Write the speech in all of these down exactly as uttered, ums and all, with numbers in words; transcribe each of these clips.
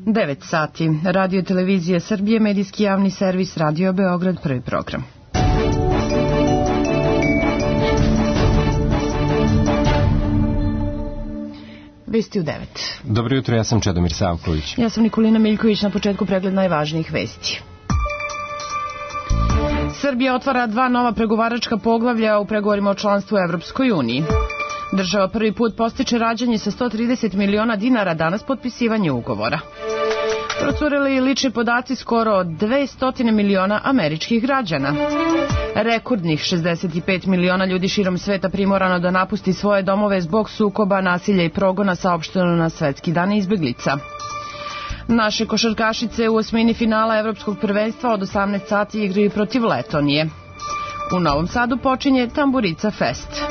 devet sati. Radio Televizija Srbije, medijski javni servis, Radio Beograd, prvi program. Vesti u devet. Dobro jutro, ja sam Čedomir Savković. Ja sam Nikolina Miljković, na početku pregled najvažnijih vesti. Srbija otvara dva nova pregovaračka poglavlja u pregovorima o članstvu u Evropskoj uniji. Država prvi put postiče rađanje sa sto trideset miliona dinara, danas potpisivanje ugovora. Procurili lični podaci skoro od dvesta miliona američkih građana. Rekordnih šezdeset pet miliona ljudi širom sveta primorano da napusti svoje domove zbog sukoba, nasilja i progona, saopšteno na Svetski dan izbeglica. Naše košarkašice u osmini finala Evropskog prvenstva od osamnaest sati igraju protiv Letonije. U Novom Sadu počinje Tamburica Fest.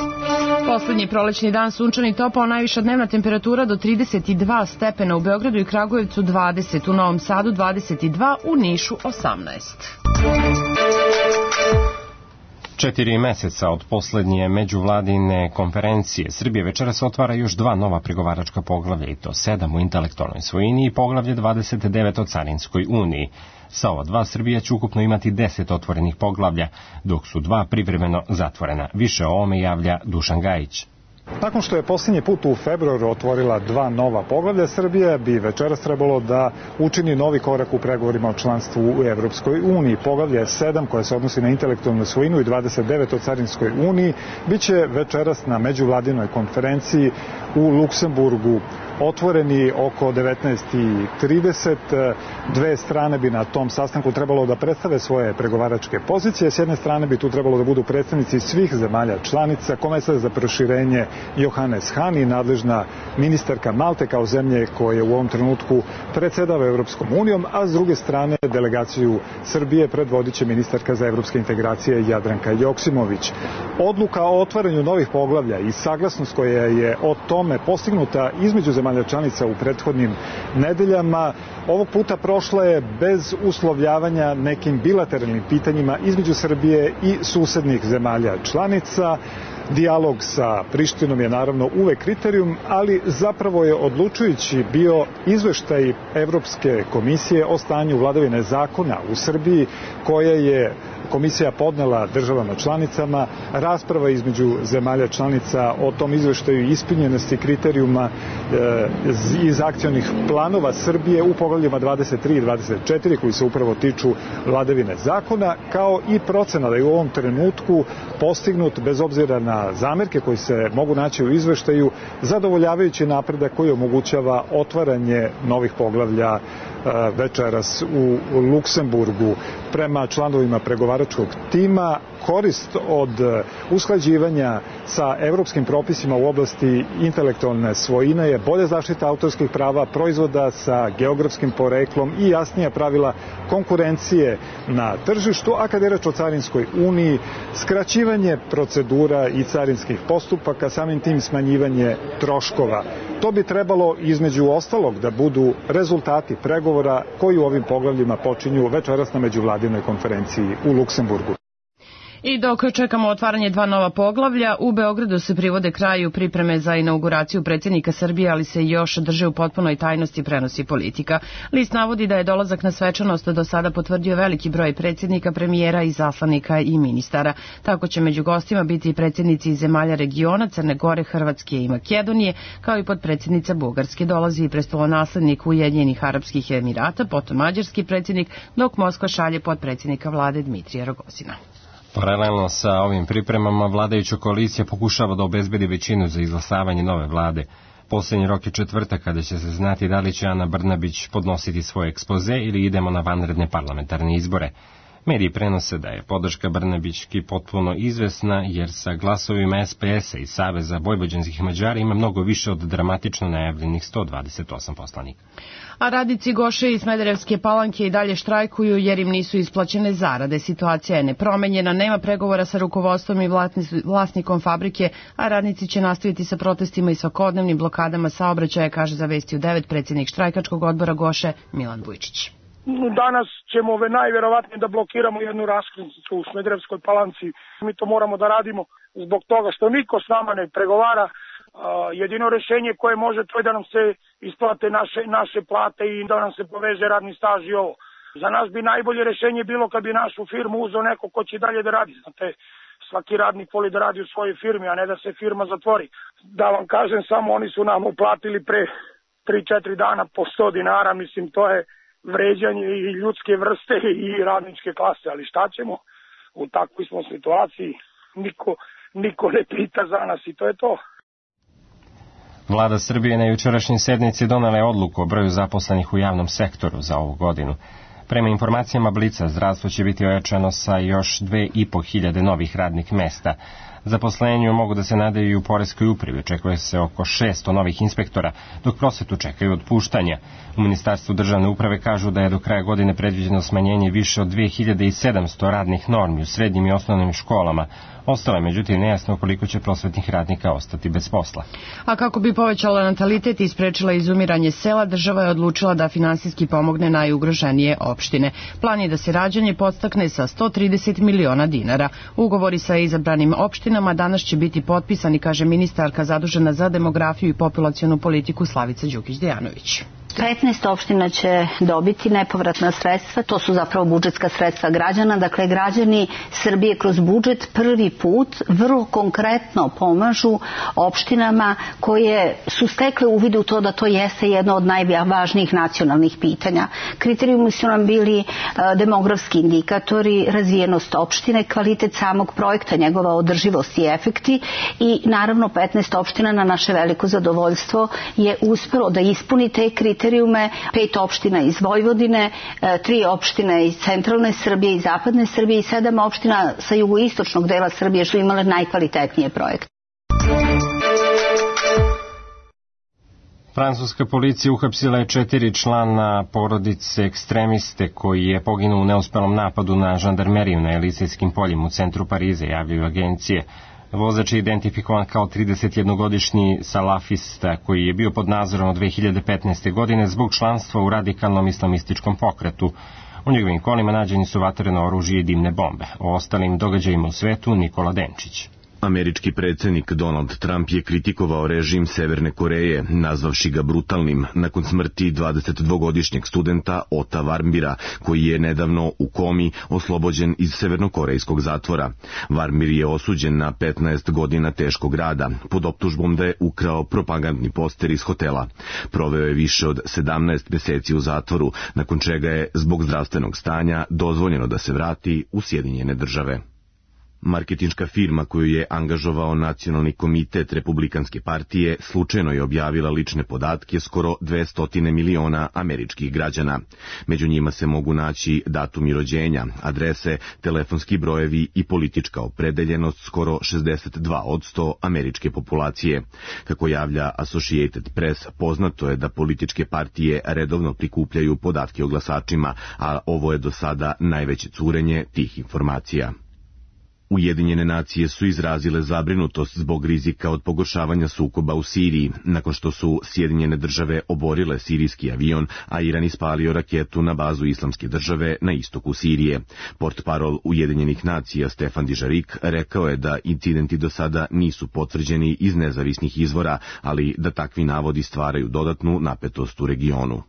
Poslednji prolećni dan sunčan i topao, najviša dnevna temperatura do trideset dva stepena, u Beogradu i Kragujevcu dvadeset, u Novom Sadu dvadeset dva, u Nišu osamnaest. Četiri meseca od poslednje međuvladine konferencije Srbije večeras otvara još dva nova pregovaračka poglavlja, i to sedam u intelektualnoj svojini i poglavlje dvadeset devet o Carinskoj uniji. Sa ova dva Srbija će ukupno imati deset otvorenih poglavlja, dok su dva privremeno zatvorena. Više o ovome javlja Dušan Gajić. Nakon što je posljednji put u februaru otvorila dva nova poglavlja, Srbija bi večeras trebalo da učini novi korak u pregovorima o članstvu u Evropskoj uniji. Poglavlje sedam, koje se odnosi na intelektualnu svojinu, i dvadeset devet o Carinskoj uniji, biće večeras na međuvladinoj konferenciji u Luksemburgu otvoreni oko devetnaest i trideset. Dve strane bi na tom sastanku trebalo da predstave svoje pregovaračke pozicije. S jedne strane bi tu trebalo da budu predstavnici svih zemalja članica, komesar za proširenje Johannes Hahn i nadležna ministarka Malte kao zemlje koje u ovom trenutku predsedava Evropskom unijom, a s druge strane delegaciju Srbije predvodit će ministarka za evropske integracije Jadranka Joksimović. Odluka o otvaranju novih poglavlja i saglasnost koja je o tome postignuta između zemalja članica u prethodnim nedeljama ovog puta prošla je bez uslovljavanja nekim bilateralnim pitanjima između Srbije i susednih zemalja članica. Dijalog sa Prištinom je naravno uvek kriterijum, ali zapravo je odlučujući bio izveštaj Evropske komisije o stanju vladavine zakona u Srbiji, koje je komisija podnela državama članicama. Rasprava između zemalja članica o tom izveštaju i ispunjenosti kriterijuma e, iz akcionih planova Srbije u poglavljima dvadeset tri i dvadeset četiri, koji se upravo tiču vladavine zakona, kao i procena da je u ovom trenutku postignut, bez obzira na zamerke koji se mogu naći u izveštaju, zadovoljavajući napredak koji omogućava otvaranje novih poglavlja večeras u Luksemburgu. Prema članovima pregovaračkog tima, korist od usklađivanja sa evropskim propisima u oblasti intelektualne svojine je bolja zaštita autorskih prava, proizvoda sa geografskim poreklom i jasnija pravila konkurencije na tržištu, a kada je reč o Carinskoj uniji, skraćivanje procedura i carinskih postupaka, samim tim smanjivanje troškova. To bi trebalo između ostalog da budu rezultati pregovora koji u ovim poglavljima počinju večeras na međuvladinoj konferenciji u Luksemburgu. I dok čekamo otvaranje dva nova poglavlja, u Beogradu se privode kraju pripreme za inauguraciju predsjednika Srbije, ali se još drže u potpunoj tajnosti, prenosi Politika. List navodi da je dolazak na svečanost do sada potvrdio veliki broj predsjednika, premijera, i zaslanika i ministara. Tako će među gostima biti i predsjednici iz zemalja regiona, Crne Gore, Hrvatske i Makedonije, kao i potpredsjednica Bugarske. Dolazi i prestolonaslednik Ujedinjenih Arapskih Emirata, potom mađarski predsjednik, dok Moskva šalje potpredsjednika vlade Dmitrija Rogozina. Paralelno sa ovim pripremama, vladajuća koalicija pokušava da obezbedi većinu za izglasavanje nove vlade. Poslednji rok je četvrtak, kada će se znati da li će Ana Brnabić podnositi svoj ekspoze ili idemo na vanredne parlamentarne izbore. Mediji prenose da je podrška Brnabićki potpuno izvesna, jer sa glasovima es pe es a i Saveza vojvođanskih Mađara ima mnogo više od dramatično najavljenih sto dvadeset osam poslanika. A radnici Goše i Smederevske Palanke i dalje štrajkuju jer im nisu isplaćene zarade. Situacija je nepromenjena, nema pregovora sa rukovodstvom i vlasnikom fabrike, a radnici će nastaviti sa protestima i svakodnevnim blokadama saobraćaja, kaže za Vesti u devet predsjednik štrajkačkog odbora Goše Milan Vujčić. Danas ćemo najverovatnije da blokiramo jednu raskrsnicu u Smederevskoj Palanci. Mi to moramo da radimo zbog toga što niko s nama ne pregovara. Jedino rešenje koje može to je da nam se isplate naše, naše plate i da nam se poveze radni staž i ovo. Za nas bi najbolje rešenje bilo kad bi našu firmu uzeo neko ko će dalje da radi. Znate, svaki radnik voli da radi u svojoj firmi, a ne da se firma zatvori. Da vam kažem, samo oni su nam uplatili pre tri četiri dana po sto dinara, mislim, to je vređanje i ljudske vrste i radničke klase, ali šta ćemo? U takvoj smo situaciji, niko, niko ne pita za nas i to je to. Vlada Srbije na jučerašnjoj sednici donela je odluku o broju zaposlenih u javnom sektoru za ovu godinu. Prema informacijama Blica, zdravstvo će biti ojačano sa još dve i po hiljade novih radnih mesta. Zaposlenju mogu da se nadaju i u poreskoj upravi, očekuje se oko šesto novih inspektora, dok prosvetu čekaju otpuštanja. U Ministarstvu državne uprave kažu da je do kraja godine predviđeno smanjenje više od dve hiljade sedamsto radnih normi u srednjim i osnovnim školama. Ostalo je međutim nejasno koliko će prosvetnih radnika ostati bez posla. A kako bi povećala natalitet i sprečila izumiranje sela, država je odlučila da finansijski pomogne najugroženije opštine. Plan je da se rađanje podstakne sa sto trideset miliona dinara. Ugovori sa izabranim opštinama danas će biti potpisani, kaže ministarka zadužena za demografiju i populacionu politiku Slavica Đukić-Dejanović. petnaest opština će dobiti nepovratna sredstva, to su zapravo budžetska sredstva građana, dakle građani Srbije kroz budžet prvi put vrlo konkretno pomažu opštinama koje su stekle uvid u to da to jeste jedno od najvažnijih nacionalnih pitanja. Kriterijumi su nam bili demografski indikatori, razvijenost opštine, kvalitet samog projekta, njegova održivost i efekti i naravno petnaest opština na naše veliko zadovoljstvo je uspelo da ispuni te kriterije. Pet opština iz Vojvodine, tri opštine iz centralne Srbije i zapadne Srbije i sedam opština sa jugoistočnog dela Srbije što imale najkvalitetnije projekte. Francuska policija uhapsila je četiri člana porodice ekstremiste koji je poginuo u neuspelom napadu na žandarmeriju na Elizejskim poljima u centru Pariza, javljaju agencije. Vozač je identifikovan kao tridesetjednogodišnji salafista koji je bio pod nadzorom od dve hiljade petnaeste. godine zbog članstva u radikalnom islamističkom pokretu. U njegovim kolima nađeni su vatreno oružje i dimne bombe. O ostalim događajima u svetu Nikola Denčić. Američki predsjednik Donald Trump je kritikovao režim Severne Koreje, nazvavši ga brutalnim, nakon smrti dvadesetdvogodišnjeg studenta Ota Warmbira, koji je nedavno u komi oslobođen iz severnokorejskog zatvora. Warmbir je osuđen na petnaest godina teškog rada, pod optužbom da je ukrao propagandni poster iz hotela. Proveo je više od sedamnaest meseci u zatvoru, nakon čega je zbog zdravstvenog stanja dozvoljeno da se vrati u Sjedinjene države. Marketinška firma koju je angažovao Nacionalni komitet Republikanske partije slučajno je objavila lične podatke skoro dvesta miliona američkih građana. Među njima se mogu naći datumi rođenja, adrese, telefonski brojevi i politička opredeljenost skoro šezdeset dva posto američke populacije. Kako javlja Associated Press, poznato je da političke partije redovno prikupljaju podatke o glasačima, a ovo je do sada najveće curenje tih informacija. Ujedinjene nacije su izrazile zabrinutost zbog rizika od pogoršavanja sukoba u Siriji, nakon što su Sjedinjene države oborile sirijski avion, a Iran ispalio raketu na bazu Islamske države na istoku Sirije. Portparol Ujedinjenih nacija Stefan Dižarik rekao je da incidenti do sada nisu potvrđeni iz nezavisnih izvora, ali da takvi navodi stvaraju dodatnu napetost u regionu.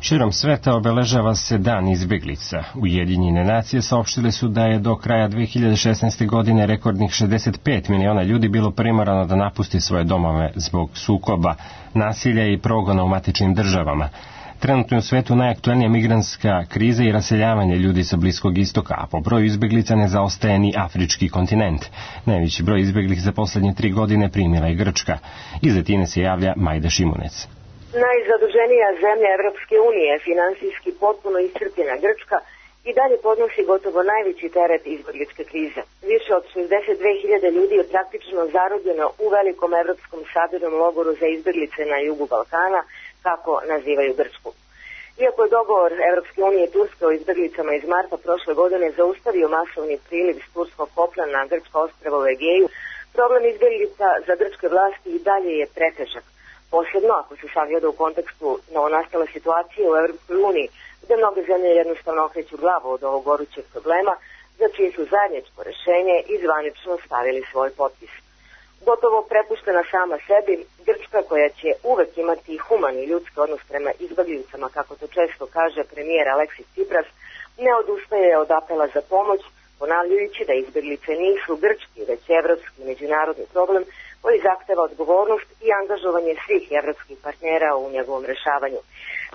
Širom sveta obeležava se Dan izbeglica. Ujedinjene nacije saopštile su da je do kraja dve hiljade šesnaeste. godine rekordnih šezdeset pet miliona ljudi bilo primorano da napusti svoje domove zbog sukoba, nasilja i progona u matičnim državama. Trenutno je u svetu najaktuelnija migrantska kriza i raseljavanje ljudi sa Bliskog istoka, a po broju izbeglica ne zaostaje ni afrički kontinent. Najveći broj izbeglih za poslednje tri godine primila je Grčka. Iz Atine se javlja Majda Šimunec. Najzaduženija zemlja Evropske unije, finansijski potpuno iscrpljena Grčka, i dalje podnosi gotovo najveći teret izbegličke krize. Više od šezdeset dve hiljade ljudi je praktično zarobljeno u velikom evropskom sabirnom logoru za izbeglice na jugu Balkana, kako nazivaju Grčku. Iako je dogovor Evropske unije i Turske o izbeglicama iz marta prošle godine zaustavio masovni priliv s turskog kopna na grčko ostrvo u Egeju, problem izbeglica za grčke vlasti i dalje je pretežak. Posebno ako se sagleda u kontekstu novonastale situacije u Evropskoj uniji, gde mnoge zemlje jednostavno okreću glavu od ovog gorućeg problema, za čije su zajedničko rešenje i zvanično stavili svoj potpis. Gotovo prepuštena sama sebi, Grčka, koja će uvek imati human i ljudski odnos prema izbeglicama, kako to često kaže premijer Aleksis Tsipras, ne odustaje od apela za pomoć, ponavljajući da izbeglice nisu grčki, već evropski međunarodni problem koji zahteva odgovornost i angažovanje svih evropskih partnera u njegovom rešavanju.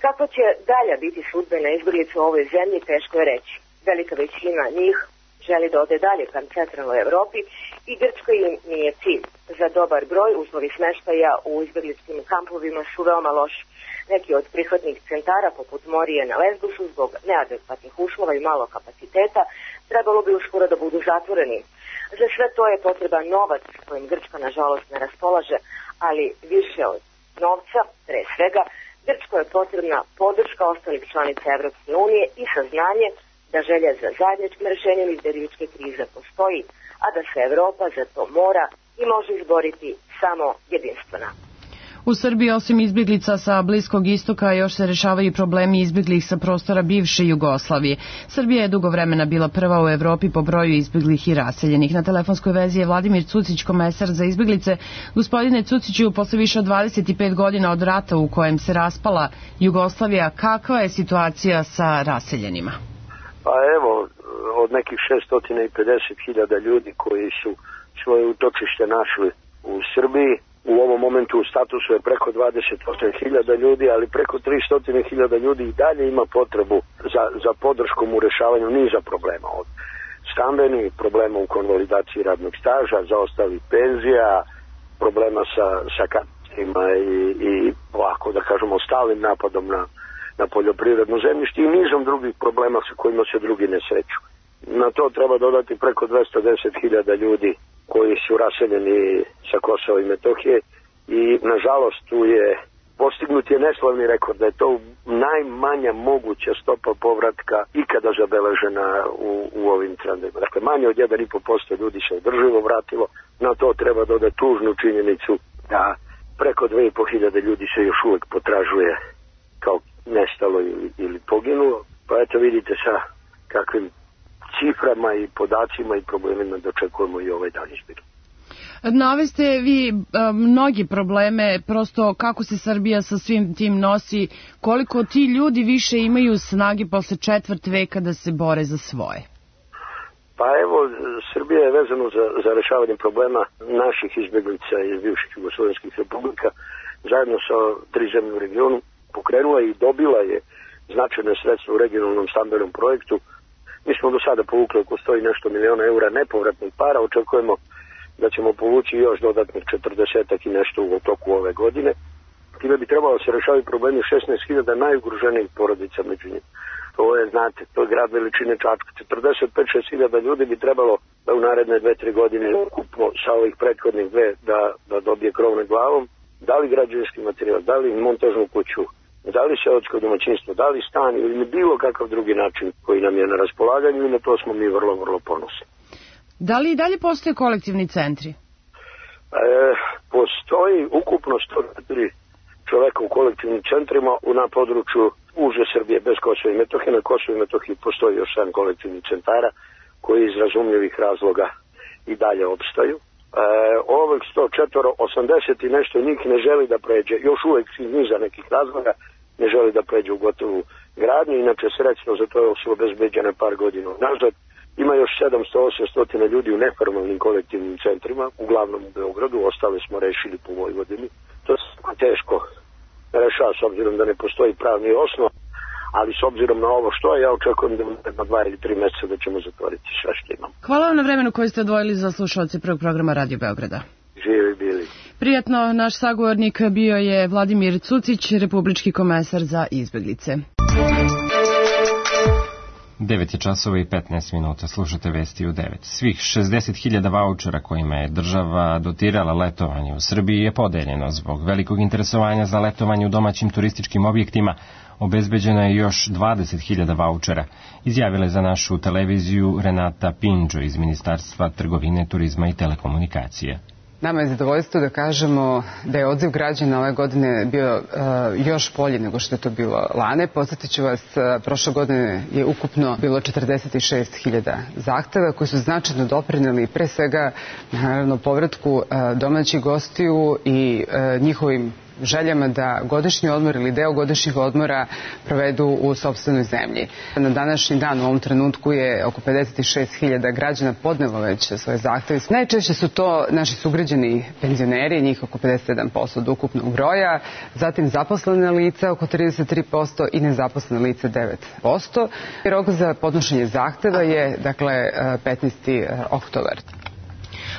Kako će dalja biti sudbina izbeglica u ovoj zemlji, teško je reći. Velika većina njih želi da ode dalje ka centralnoj Evropi i Grčka im nije cilj. Za dobar broj uslovi smeštaja u izbegličkim kampovima su veoma loši. Neki od prihvatnih centara, poput Morije na Lesbosu, zbog neadekvatnih uslova i malo kapaciteta, trebalo bi uskoro da budu zatvoreni. Za sve to je potreban novac kojim Grčka nažalost ne raspolaže, ali više od novca, pre svega, Grčkoj je potrebna podrška ostalih članica Evropske unije i saznanje da želja za zajedničkim rešenjem izbegličke krize postoji, a da se Evropa za to mora i može izboriti samo jedinstvena. U Srbiji osim izbjeglica sa Bliskog istoka još se rešavaju problemi izbjeglih sa prostora bivše Jugoslavije. Srbija je dugo vremena bila prva u Evropi po broju izbjeglih i raseljenih. Na telefonskoj vezi je Vladimir Cucić, komesar za izbjeglice. Gospodine Cuciću, posle više od dvadeset pet godina od rata u kojem se raspala Jugoslavija, kakva je situacija sa raseljenima? Pa evo, od nekih šesto pedeset hiljada ljudi koji su svoje utočište našli u Srbiji, u ovom momentu u statusu je preko dvadeset osam hiljada ljudi, ali preko tristo hiljada ljudi i dalje ima potrebu za, za podrškom u rešavanju niza problema. Od stambenih problema u konvalidaciji radnog staža, zaostalih penzija, problema sa, sa katastima i, i ovako da kažemo stalnim napadom na, na poljoprivredno zemljište i nizom drugih problema sa kojima se drugi ne sreću. Na to treba dodati preko dvesta deset hiljada ljudi koji su raseljeni sa Kosova i Metohije i nažalost tu je postignut je neslavni rekord da je to najmanja moguća stopa povratka ikada zabeležena u, u ovim trendima. Dakle, manje od jedan i po posto ljudi se održivo vratilo, na to treba dodati tužnu činjenicu da preko dve i po hiljade ljudi se još uvek potražuje kao nestalo ili, ili poginulo, pa eto vidite sa kakvim ciframa i podacima i problemima dočekujemo i ovaj dan izbir. Naveste vi a, mnogi probleme, prosto kako se Srbija sa svim tim nosi, koliko ti ljudi više imaju snage posle četvrt veka da se bore za svoje? Pa evo, Srbija je vezano za, za rešavanje problema naših izbeglica iz bivših jugoslovenskih republika, zajedno sa tri zemlje u regionu, pokrenula i dobila je značajne sredstva u regionalnom stambenom projektu. Mi smo do sada povukli oko sto i nešto miliona eura nepovratnih para, očekujemo da ćemo povući još dodatnih četrdesetak i nešto u toku ove godine. Time bi trebalo se rešavati problemi šesnaest hiljada najugroženijih porodica među njima. To je, znate, to je grad veličine Čačka. četrdeset pet do šesdeset hiljada ljudi bi trebalo da u naredne dve tri godine ukupno sa ovih prethodnih dve da, da dobije krov nad glavom. Da li građevinski materijal, da li montažnu kuću, da li seosko domaćinstvo, da li stan ili bilo kakav drugi način koji nam je na raspolaganju i na to smo mi vrlo, vrlo ponosni. Da li i dalje postoje kolektivni centri? E, postoji ukupno sto četiri čoveka u kolektivnim centrima na području uže Srbije bez Kosova i Metohije. Na Kosovu i Metohiji postoji još sedam kolektivnih centara koji iz razumljivih razloga i dalje opstaju. E, ovih sto četiri, osamdeset i nešto njih ne želi da pređe, još uvek iz niza nekih razloga, ne želi da pređe u gotovu gradnju, inače sredstvo za to su obezbeđene par godina nazad. Ima još sedamsto do osamsto ljudi u neformalnim kolektivnim centrima, uglavnom u Beogradu, ostale smo rešili po Vojvodini. To je teško rešava s obzirom da ne postoji pravni osnov, ali s obzirom na ovo što je, ja očekujem da na dva ili tri meseca da ćemo zatvoriti sve što imamo. Hvala vam na vremenu koje ste odvojili za slušalce prvog programa Radio Beograda. Živi bili. Prijatno, naš sagovornik bio je Vladimir Cucić, republički komesar za izbeglice. devet je časova i petnaest minuta, slušate vesti u devet. Svih šezdeset hiljada vaučera kojima je država dotirala letovanje u Srbiji je podeljeno. Zbog velikog interesovanja za letovanje u domaćim turističkim objektima obezbeđeno je još dvadeset hiljada vaučera, izjavila je za našu televiziju Renata Pinđo iz Ministarstva trgovine, turizma i telekomunikacije. Nama je zadovoljstvo da kažemo da je odziv građana ove godine bio uh, još bolji nego što je to bilo lane. Podsjetit ću vas, uh, prošle godine je ukupno bilo četrdeset šest hiljada zahteva koji su značajno doprineli pre svega naravno povratku uh, domaćih gostiju i uh, njihovim željama da godišnji odmor ili deo godišnjih odmora provedu u sopstvenoj zemlji. Na današnji dan u ovom trenutku je oko pedeset šest hiljada građana podnelo već svoje zahteve. Najčešće su to naši sugrađani penzioneri, njih oko pedeset sedam posto od ukupnog broja, zatim zaposlene lica oko trideset tri posto i nezaposlene lica devet posto. Rok za podnošenje zahteva je dakle petnaesti oktobar.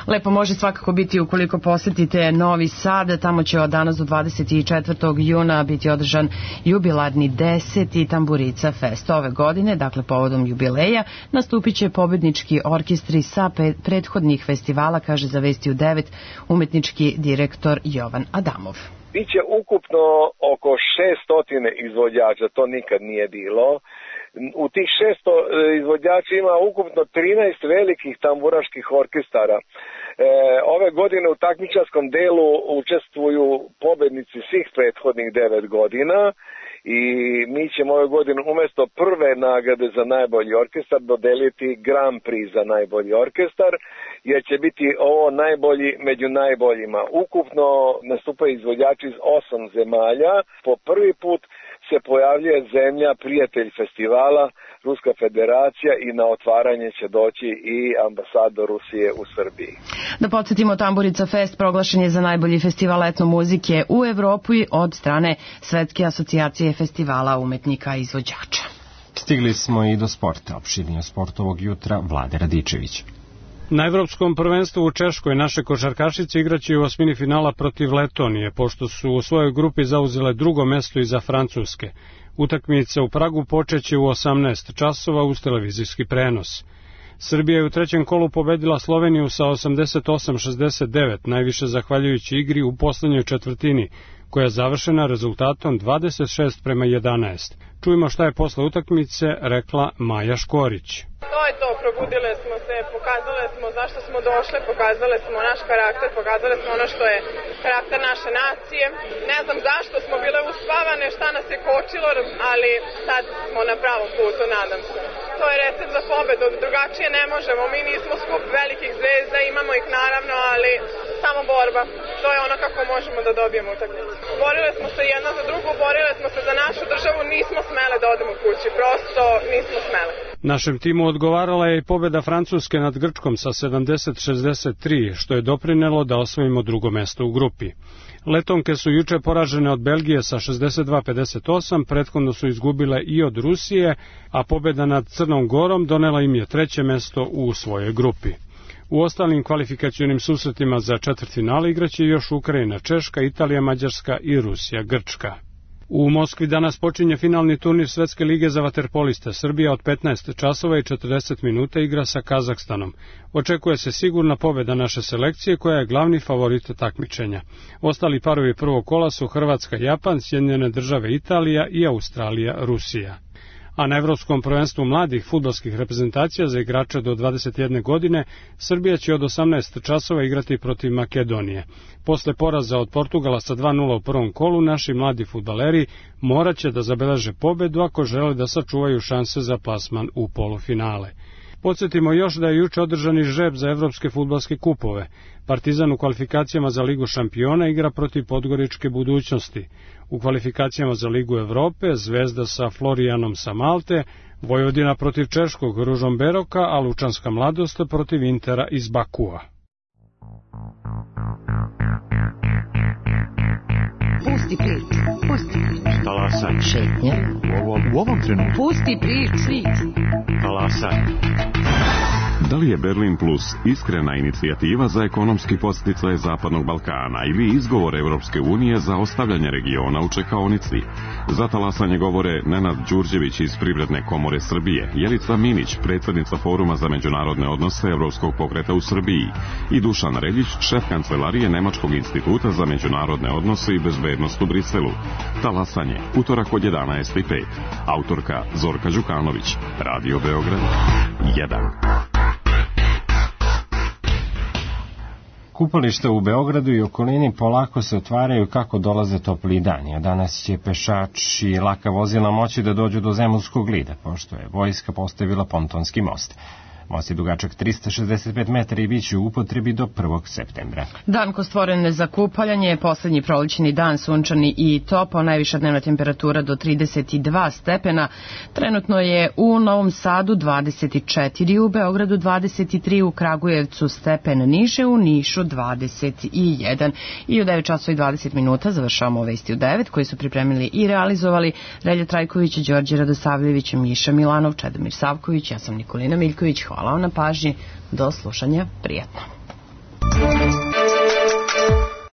Lepo može svakako biti ukoliko posetite Novi Sad, tamo će od danas do dvadeset četvrtog juna biti održan jubilarni deseti Tamburica Fest. Ove godine, dakle povodom jubileja, nastupit će pobednički orkestri sa prethodnih festivala, kaže za Vesti u devet umetnički direktor Jovan Adamov. Biće ukupno oko šesto izvođača, to nikad nije bilo. U tih šesto izvođača ima ukupno trinaest velikih tamburaških orkestara. E, ove godine u takmičarskom delu učestvuju pobednici svih prethodnih devet godina i mi ćemo ove godine umjesto prve nagrade za najbolji orkestar dodeliti Grand Prix za najbolji orkestar, jer će biti ovo najbolji među najboljima. Ukupno nastupaju izvođači iz osam zemalja. Po prvi put se pojavljuje zemlja prijatelj festivala, Ruska federacija, i na otvaranje će doći i ambasador Rusije u Srbiji. Da podsjetimo, Tamburica Fest proglašen je za najbolji festival etno muzike u Evropi od strane Svetske asocijacije festivala umetnika i izvođača. Stigli smo i do sporta. Opširnije sport ovog jutra Vlade Radičević. Na Evropskom prvenstvu u Češkoj naše košarkašice igraće u osmini finala protiv Letonije, pošto su u svojoj grupi zauzele drugo mesto iza Francuske. Utakmica u Pragu počeće u osamnaest časova uz televizijski prenos. Srbija je u trećem kolu pobedila Sloveniju sa osamdeset osam šezdeset devet, najviše zahvaljujući igri u poslednjoj četvrtini, koja je završena rezultatom dvadeset šest prema jedanaest. Čujemo šta je posle utakmice rekla Maja Škorić. To je to, probudile smo se, pokazale smo zašto smo došle, pokazale smo naš karakter, pokazale smo ono što je karakter naše nacije. Ne znam zašto smo bile uspavane, šta nas je kočilo, ali sad smo na pravom putu, nadam se. To je recept za pobedu, drugačije ne možemo, mi nismo skup velikih zvezda, imamo ih naravno, ali samo borba. To je ono kako možemo da dobijemo utakmicu. Borile smo se jedna za drugu, borile smo se za našu državu, nismo smele da odemo kući, prosto nismo smele. Našem timu odgovarala je i pobeda Francuske nad Grčkom sa sedamdeset šezdeset tri, što je doprinelo da osvojimo drugo mesto u grupi. Letonke su juče poražene od Belgije sa šezdeset dva pedeset osam, prethodno su izgubile i od Rusije, a pobeda nad Crnom Gorom donela im je treće mesto u svojoj grupi. U ostalim kvalifikacionim susretima za četvrtfinale igraće još Ukrajina, Češka, Italija, Mađarska i Rusija, Grčka. U Moskvi danas počinje finalni turnir Svetske lige za vaterpoliste. Srbija od petnaest časova i četrdeset minuta igra sa Kazahstanom. Očekuje se sigurna pobeda naše selekcije koja je glavni favorit takmičenja. Ostali parovi prvog kola su Hrvatska, Japan, Sjedinjene države, Italija i Australija, Rusija. A na Evropskom prvenstvu mladih fudbalskih reprezentacija za igrače do dvadeset jedne godine Srbija će od osamnaest časova igrati protiv Makedonije. Posle poraza od Portugala sa dva nula u prvom kolu, naši mladi fudbaleri morat će da zabeleže pobedu ako žele da sačuvaju šanse za plasman u polufinale. Podsjetimo još da je juče održani žreb za evropske fudbalske kupove. Partizan u kvalifikacijama za Ligu šampiona igra protiv Podgoričke Budućnosti. U kvalifikacijama za Ligu Evrope Zvezda sa Florijanom sa Malte, Vojvodina protiv Češkog Ružom Beroka, a Lučanska Mladost protiv Intera iz Bakua. Pusti priču, pusti priču. Talasaj. Šetnja. U ovom, u ovom trenutku. Pusti priču. Talasaj. Da li je Berlin Plus iskrena inicijativa za ekonomski podsticaj Zapadnog Balkana ili izgovor Evropske unije za ostavljanje regiona u čekaonici? Za talasanje govore Nenad Đurđević iz Privredne komore Srbije, Jelica Minić, predsednica Foruma za međunarodne odnose Evropskog pokreta u Srbiji i Dušan Reljić, šef kancelarije Nemačkog instituta za međunarodne odnose i bezbednost u Briselu. Talasanje, utorak od jedanaest i pet. Autorka Zorka Đukanović, Radio Beograd jedan. Kupališta u Beogradu i okolini polako se otvaraju kako dolaze topliji dani, a danas će pešači i laka vozila moći da dođu do Zemunskog lida, pošto je vojska postavila pontonski most. Most je dugačak tristo šezdeset pet metara i bit će u upotrebi do prvog septembra. Dan ko stvoren za kupaljanje je poslednji prolećni dan, sunčani i topao, najviša dnevna temperatura do trideset dva stepena. Trenutno je u Novom Sadu dvadeset četiri, u Beogradu dvadeset tri, u Kragujevcu stepen niže, u Nišu dvadeset jedan. I u devet časova i dvadeset minuta završavamo Vesti u devet, koji su pripremili i realizovali Relja Trajković, Đorđe Radosavljević, Miša Milanov, Čedomir Savković, ja sam Nikolina Miljković. Hvala vam na pažnji, do slušanja, prijatno.